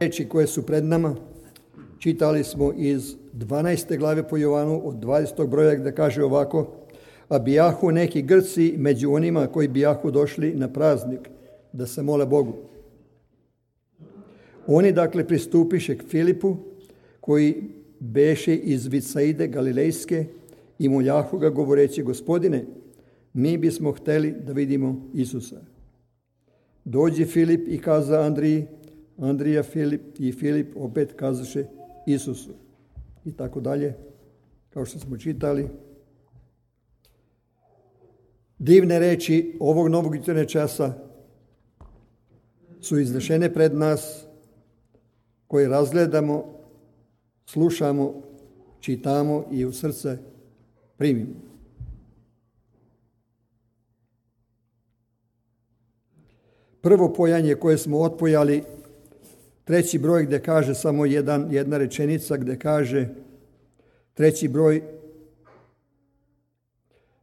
Riječi koje su pred nama čitali smo iz 12. glave po Jovanu od 20. broja gdje kaže ovako: a bijahu neki Grci među onima koji bijahu došli na praznik da se mole Bogu. Oni dakle pristupiše k Filipu koji beše iz Vicaide Galilejske i moljahu ga govoreći: Gospodine, mi bismo hteli da vidimo Isusa. Dođi Filip i kaza Andriji, Andrija Filip i Filip opet kazaše Isusu. I tako dalje, kao što smo čitali. Divne reči ovog novog jutarnjeg časa su iznešene pred nas, koje razgledamo, slušamo, čitamo i u srce primimo. Prvo pojanje koje smo otpojali, 3. broj gdje kaže samo jedna rečenica, gdje kaže 3. broj: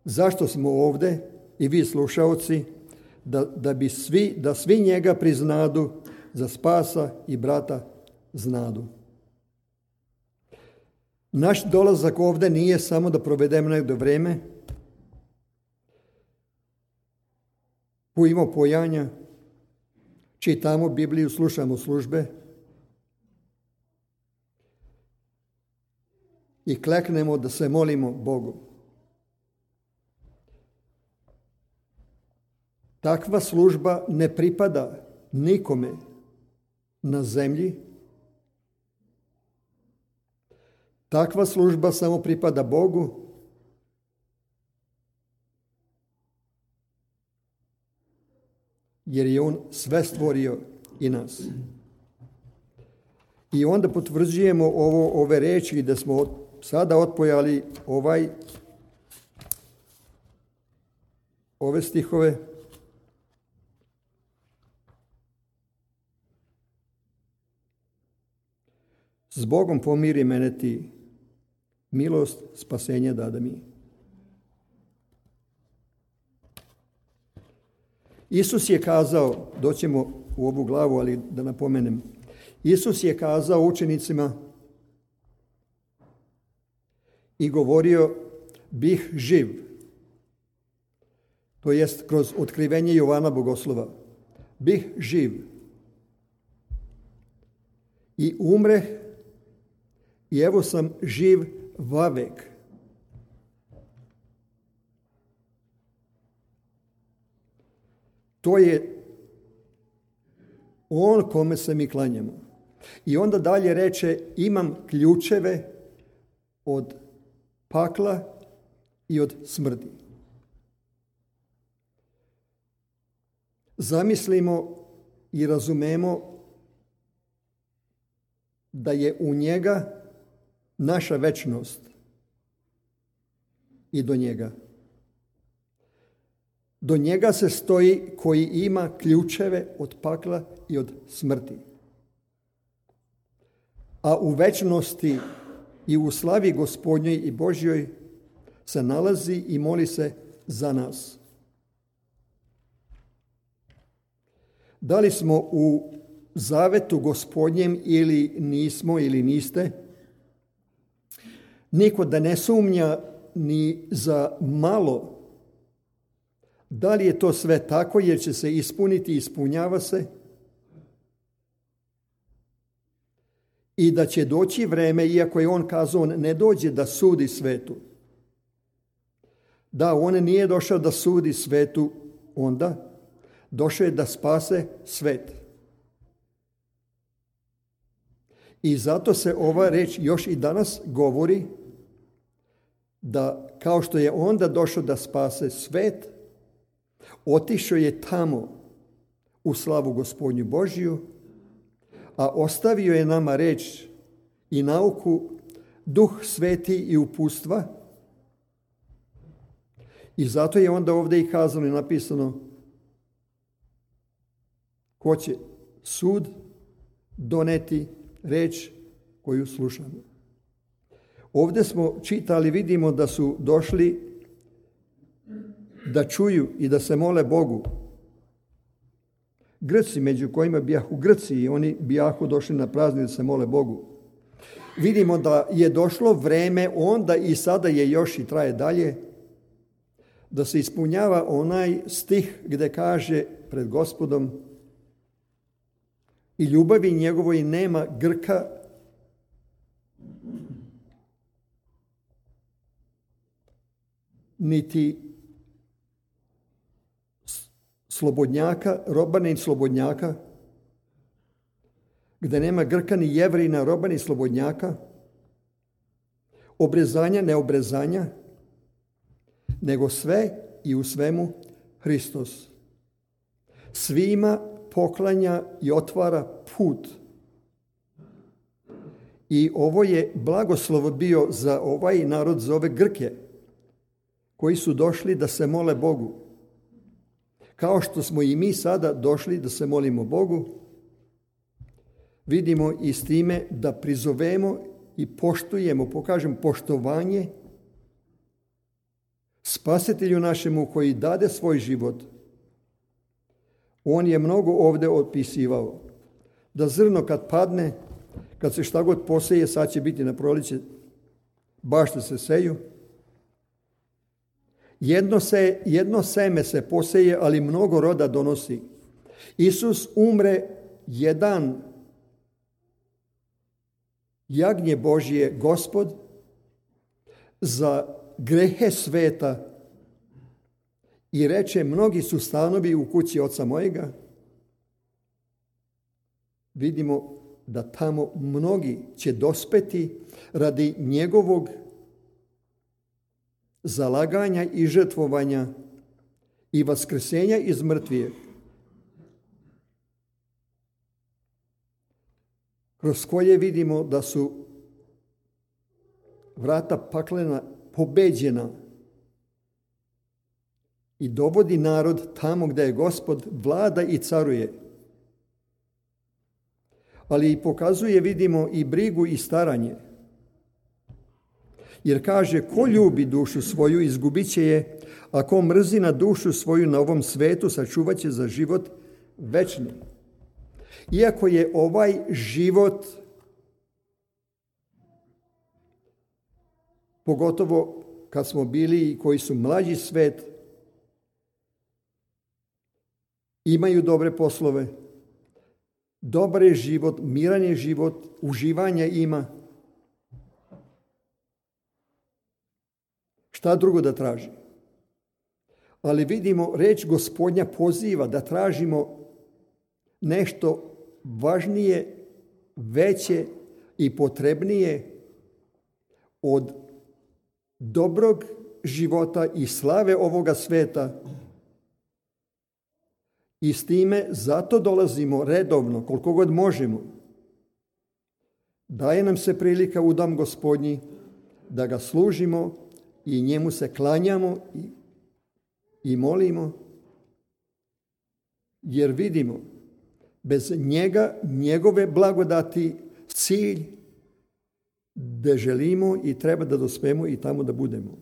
zašto smo ovdje i vi slušaoci, da svi njega priznadu za spasa i brata znadu. Naš dolazak ovdje nije samo da provedemo nekdo vreme, pojimo pojanja, čitamo Bibliju, slušamo službe i kleknemo da se molimo Bogu. Takva služba ne pripada nikome na zemlji. Takva služba samo pripada Bogu. Jer je On sve stvorio i nas. I onda potvrđujemo ove reči da smo sada otpojali ove stihove. S Bogom pomiri mene ti, milost spasenja dada mi. Isus je kazao, doćemo u ovu glavu, ali da napomenem, Isus je kazao učenicima i govorio: bih živ. To jest kroz otkrivenje Jovana Bogoslova. Bih živ. I umreh, i evo sam živ vavek. To je On kome se mi klanjamo. I onda dalje reče: imam ključeve od pakla i od smrti. Zamislimo i razumemo da je u njega naša večnost i do njega. Do njega se stoji koji ima ključeve od pakla i od smrti. A u večnosti i u slavi Gospodnjoj i Božjoj se nalazi i moli se za nas. Da li smo u zavetu Gospodnjem ili nismo ili niste, niko da ne sumnja ni za malo da li je to sve tako, jer će se ispuniti i ispunjava se, i da će doći vreme, iako je On kazao ne dođe da sudi svetu. Da, On nije došao da sudi svetu onda, došao je da spase svet. I zato se ova reč još i danas govori da kao što je onda došao da spase svet, otišao je tamo u slavu Gospodnju Božju, a ostavio je nama reč i nauku, Duh Sveti i upustva. I zato je onda ovdje i kazano i napisano: ko će sud doneti reč koju slušamo. Ovdje smo čitali, vidimo da su došli da čuju i da se mole Bogu. Grci, među kojima bijahu Grci, i oni bijahu došli na praznik da se mole Bogu. Vidimo da je došlo vreme onda i sada je još i traje dalje, da se ispunjava onaj stih gdje kaže pred Gospodom: i ljubavi njegovoj nema Grka, niti slobodnjaka, roba ni slobodnjaka, gdje nema Grka ni Jevrina, roba ni slobodnjaka, obrezanja, neobrezanja, nego sve i u svemu Hristos. Svima poklanja i otvara put. I ovo je blagoslov bio za ovaj narod, za ove Grke, koji su došli da se mole Bogu. Kao što smo i mi sada došli da se molimo Bogu, vidimo i s time da prizovemo i poštujemo, pokažem poštovanje Spasitelju našemu koji dade svoj život. On je mnogo ovdje opisivao da zrno kad padne, kad se šta god poseje, sad će biti na proliće, bašte se seju. Jedno seme se poseje, ali mnogo roda donosi. Isus umre jedan jagnje Božje, Gospod, za grehe sveta i reče: mnogi su stanovi u kući oca mojega. Vidimo da tamo mnogi će dospeti radi njegovog zalaganja i žrtvovanja i vaskrsenja iz mrtvih, kroz koje vidimo da su vrata paklena pobeđena i dovodi narod tamo gdje je Gospod vlada i caruje. Ali i pokazuje, vidimo, i brigu i staranje. Jer kaže: ko ljubi dušu svoju, izgubit će je, a ko mrzi na dušu svoju na ovom svetu, sačuvat će za život večni. Iako je ovaj život, pogotovo kad smo bili i koji su mlađi svet, imaju dobre poslove, dobar je život, miran je život, uživanja ima. Šta drugo da traži? Ali vidimo, reč Gospodnja poziva da tražimo nešto važnije, veće i potrebnije od dobrog života i slave ovoga sveta. I s time zato dolazimo redovno, koliko god možemo. Daje nam se prilika u dom Gospodnji da ga služimo i njemu se klanjamo i molimo, jer vidimo, bez njega, njegove blagodati, cilj da želimo i treba da dospemo i tamo da budemo.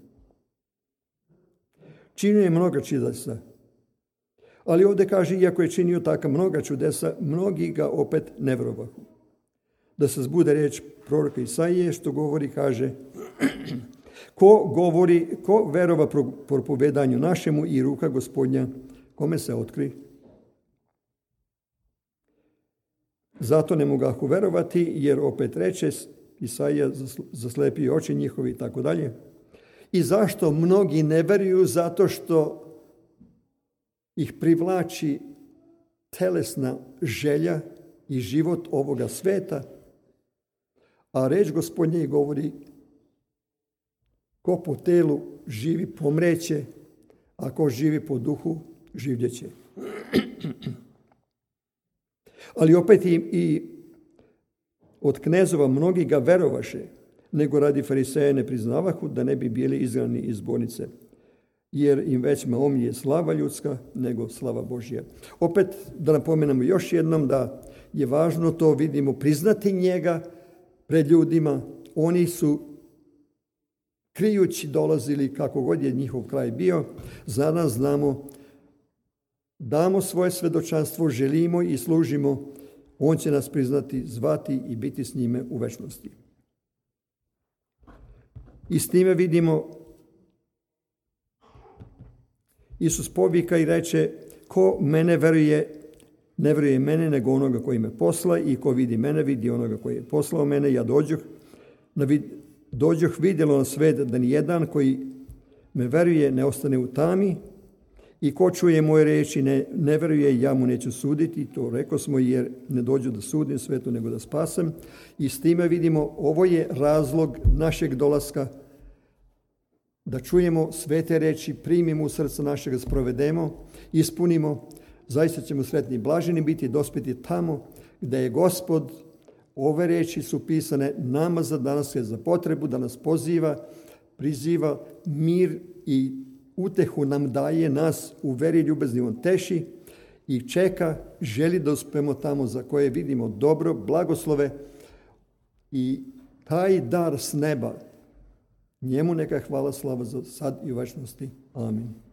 Činio je mnoga čudesa, ali ovdje kaže, iako je činio taka mnoga čudesa, mnogi ga opet ne verovahu. Da se zbude reč proroka Isaije, što govori, kaže: ko verova propovedanju našemu i ruka Gospodnja, kome se otkri? Zato ne mogahu verovati, jer opet reče Isaija, zaslepio oči njihovi i tako dalje. I zašto mnogi ne veruju? Zato što ih privlači telesna želja i život ovoga sveta, a reč Gospodnje govori: ko po telu živi, pomreće, a ko živi po duhu, življeće. Ali opet i od knezova mnogi ga verovaše, nego radi fariseja ne priznavahu, da ne bi bili izgnani iz zbornice, jer im već omilje slava ljudska nego slava Božja. Opet da napomenemo još jednom da je važno to, vidimo, priznati njega pred ljudima. Oni su krijući dolazili, kako god je njihov kraj bio. Za nas znamo damo svoje svedočanstvo, želimo i služimo, on će nas priznati, zvati i biti s njime u večnosti. I s time vidimo, Isus povika i reče, ko mene veruje, ne veruje mene nego onoga koji me posla, i ko vidi mene, vidi onoga koji je poslao mene. Ja dođoh vidjelo na svet da nijedan koji me veruje ne ostane u tami, i ko čuje moje reči ne veruje, ja mu neću suditi. To rekao smo, jer ne dođu da sudim svetu nego da spasem. I s time vidimo, ovo je razlog našeg dolaska, da čujemo svete reči, primimo u srce našega, sprovedemo, ispunimo. Zaista ćemo sretni i blaženi biti, dospjeti tamo gdje je Gospod. Ove reči su pisane nama za danas, za potrebu da nas poziva, priziva, mir i utehu nam daje, nas u veri ljubazni on teši i čeka, želi da uspemo tamo za koje vidimo dobro, blagoslove, i taj dar s neba, njemu neka hvala, slava za sad i u večnosti. Amin.